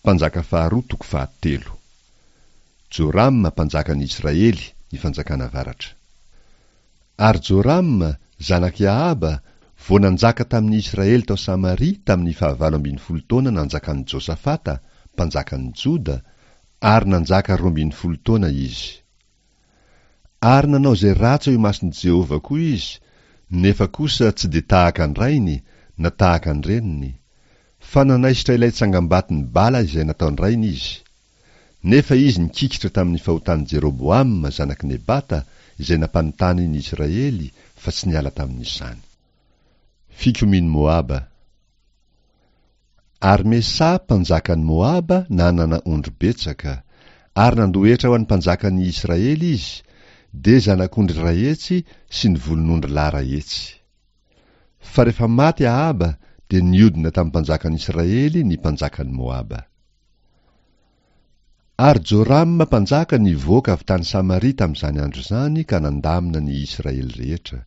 Mpanjaka faharoa toko fahatelo. Jorama mpanjakan'i Israely, ny fanjakana avaratra. Ary Jorama, zanak'i Ahaba, vao nanjaka tamin'ny Israely tao Samaria tamin'ny fahavalo ambin'ny folo taona nanjakan'i Josafata, mpanjakan'i Joda, ary nanjaka 12 taona izy. Ary nanao izay ratsy eo imason'i Jehovah koa izy, nefa kosa tsy dia tahaka an-drainy na tahaka an-dreniny, fa nanaisotra ilay tsangambaton'i Bala izay nataon-drainy izy. Nefa izy nikikitra tamin'ny fahotan'i Jeroboama zanak'i Nebata izay nampanontany ny Israely fa tsy niala tamin'izany. Fikomian'i Moaba. Ary Mesà mpanjakan'i Moaba nanana ondry betsaka, ary nandoa hetra ho an'ny mpanjakan'ny Israely izy, dia zanak'ondry 100 sy ny volon'ondry lahy 100. Fa rehefa maty Ahaba dia niodina tamin'ny mpanjakan'i Israely ny mpanjakan'i Moaba. Ary Jorama mpanjaka nivoaka avy tany Samaria tamin'izany andro izany ka nandamina ny Israely rehetra.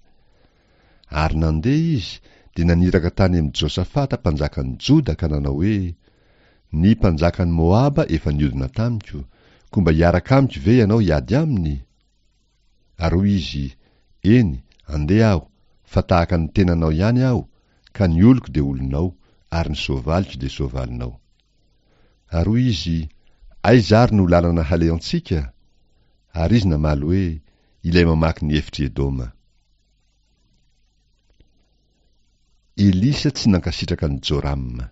Ary nandeha izy, dia naniraka tany amin'i Josafata mpanjakan'i Joda ka nanao hoe, Ny mpanjakan'i Moaba efa niodina tamiko, koa mba hiaraka amiko ve ianao hiady aminy? Ary hoy izy, Eny, andeha aho, fa tahaka ny tenanao ihany aho, ka ny oloko dia olonao, ary ny soavaliko dia soavalinao. Ary hoy izy, Aiza ary no lalana halehantsika? Ary izy namaly hoe, Ilay mamaky ny efitr'i Edoma. Elisa tsy nankasitraka an'i Jorama.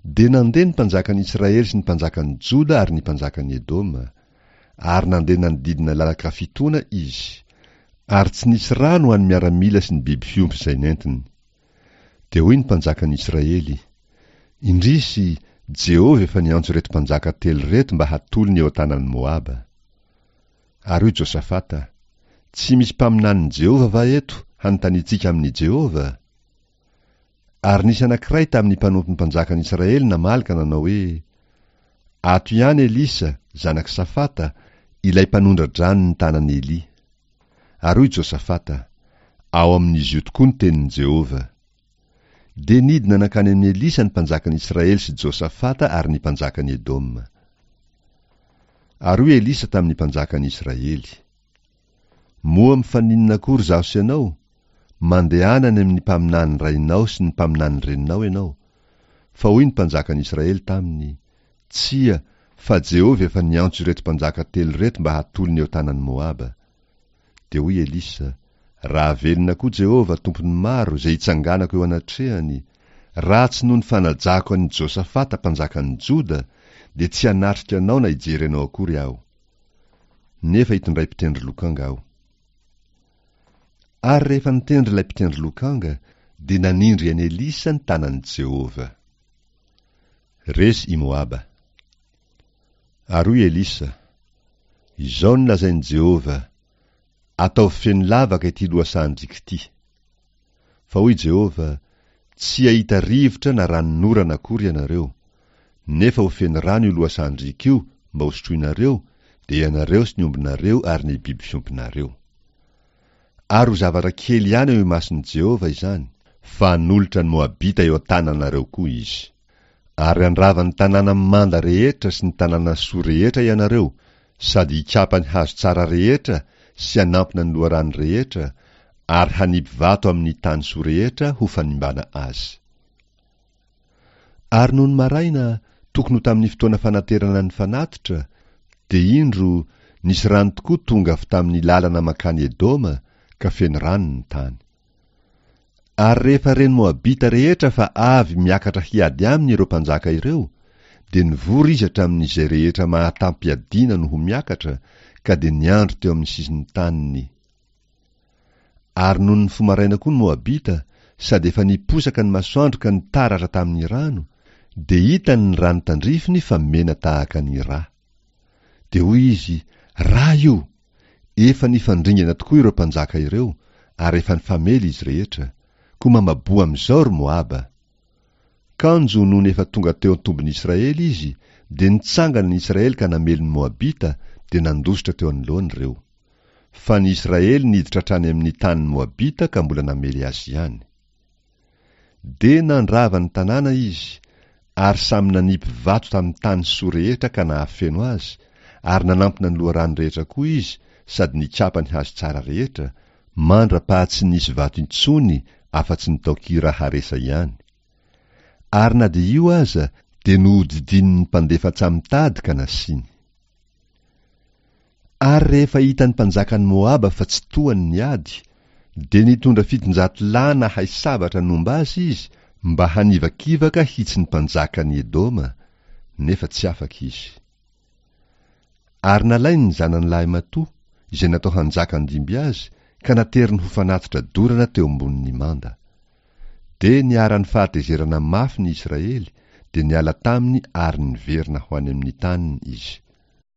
Dia nandeha ny mpanjakan'i Israely sy ny mpanjakan'i Joda ary ny mpanjakan'i Edoma, ary nandeha nanodidina lalan-kafitoana izy, ary tsy nisy rano ho an'ny miaramila sy ny biby fiompy izay nentiny. Dia hoy ny mpanjakan'i Israely, Indrisy, Jehovah efa niantso ireto mpanjaka telo ireto mba hatolony eo an-tanan'i Moaba. Ary hoy Josafata, Tsy misy mpaminanin'i Jehovah va eto hanontaniantsika amin'i Jehovah? Ary nisy anankiray tamin'ny mpanompon'ny mpanjakan'i Israely namaly ka nanao hoe, Ato ihany Elisa, zanak'i Safata, ilay mpanondra-drano ny tanan'i Elia. Ary hoy Josafata, Ao amin'izy io tokoa ny tenin'i Jehovah. Dia nidina nankany amin'i Elisa ny mpanjakan'i Israely sy Josafata ary ny mpanjakan'i Edoma. Ary hoy Elisa tamin'ny mpanjakan'i Israely, Moa mifaninona akory izaho sy ianao? Mandehana any amin'ny mpaminany rainao sy ny mpaminany reninao ianao. Fa hoy ny mpanjakan'i Israely taminy, Tsia, fa Jehovah efa niantso ireto mpanjaka telo ireto mba hatolony eo tanan'i Moaba. Dia hoy Elisa, Raha velona koa Jehovah, Tompon'ny maro, izay itsanganako eo anatrehany, raha tsy noho ny fanajako an'i Josafata mpanjakan'i Joda, dia tsy hanatrika anao na hijery anao akory aho. Nefa itondray mpitendry lokanga aho. Ary rehefa nitendry ilay mpitendry lokanga, dia nanindry an'i Elisa ny tanan'i Jehovah. Resy i Moaba. Ary hoy Elisa, Izao no lazain'i Jehovah, 'Ataovy feno lavaka ity lohasahan-driaka ity. Fa hoy Jehovah, 'Tsy hahita rivotra na ranonorana akory ianareo, nefa ho feno rano io lohasahan-driaka io mba hosotroinareo, dia ianareo sy ny ombinareo ary ny biby fiompinareo. Ary ho zavatra kely ihany eo imason'i Jehovah izany, fa hanolotra ny Moabita eo an-tananareo koa izy. Ary handrava ny tanàna manda rehetra sy ny tanàna soa rehetra ianareo, sady hikapa ny hazo tsara rehetra sy hanampina ny loharano rehetra, ary hanipy vato amin'ny tany soa rehetra ho fanimbana azy. Ary nony maraina, tokony ho tamin'ny fotoana fanaterana ny fanatitra, dia indro, nisy rano tokoa tonga avy tamin'ny lalana mankany Edoma, ka feno rano ny tany. Ary rehefa ren'ny Moabita rehetra fa avy miakatra hiady aminy ireo mpanjaka ireo, dia nivory izy hatramin'izay rehetra mahatam-piadiana no ho miakatra, ka dia niandry teo amin'ny sisin'ny taniny. Ary nony nifoha maraina koa ny Moabita, sady efa niposaka ny masoandro ka nitaratra tamin'ny rano, dia hitany ny rano tandrifiny fa mena tahaka ny ra. Dia hoy izy, Ra io! Efa nifandringana tokoa ireo mpanjaka ireo, ary efa nifamely izy rehetra, koa mamaboa amin'izao, ry Moaba! Kanjo nony efa tonga teo an-tobin'i Israely izy, dia nitsangana ny Israely ka namely ny Moabita, dia nandositra teo anoloany ireo. Fa ny Israely niditra hatrany amin'ny tanin'ny Moabita ka mbola namely azy ihany. Dia nandrava ny tanàna izy, Ary samy nanipy vato tamin'ny tany soa rehetra ka nahafeno azy, ary nanampina ny loharano rehetra koa izy sady nikapa ny hazo tsara rehetra, mandra-paha tsy nisy vato intsony afa-tsy ny tao Kira-haresa ihany. Ary na dia io aza dia nohodidinin'ny mpandefa antsamitady ka nasiany. Ary rehefa hitan'ny mpanjakan'i Moaba fa tsy tohany ny ady, dia nitondra 700 lahy nahay sabatra nomba azy izy mba hanivakivaka hitsy ny mpanjakan'i Edoma, nefa tsy afaka izy. Ary nalainy ny zanany lahimatoa, izay natao hanjaka handimby azy, ka nateriny ho fanatitra dorana teo ambonin'ny manda. Dia niharan'ny fahatezerana mafy ny Israely, dia niala taminy ary niverina ho any amin'ny taniny izy.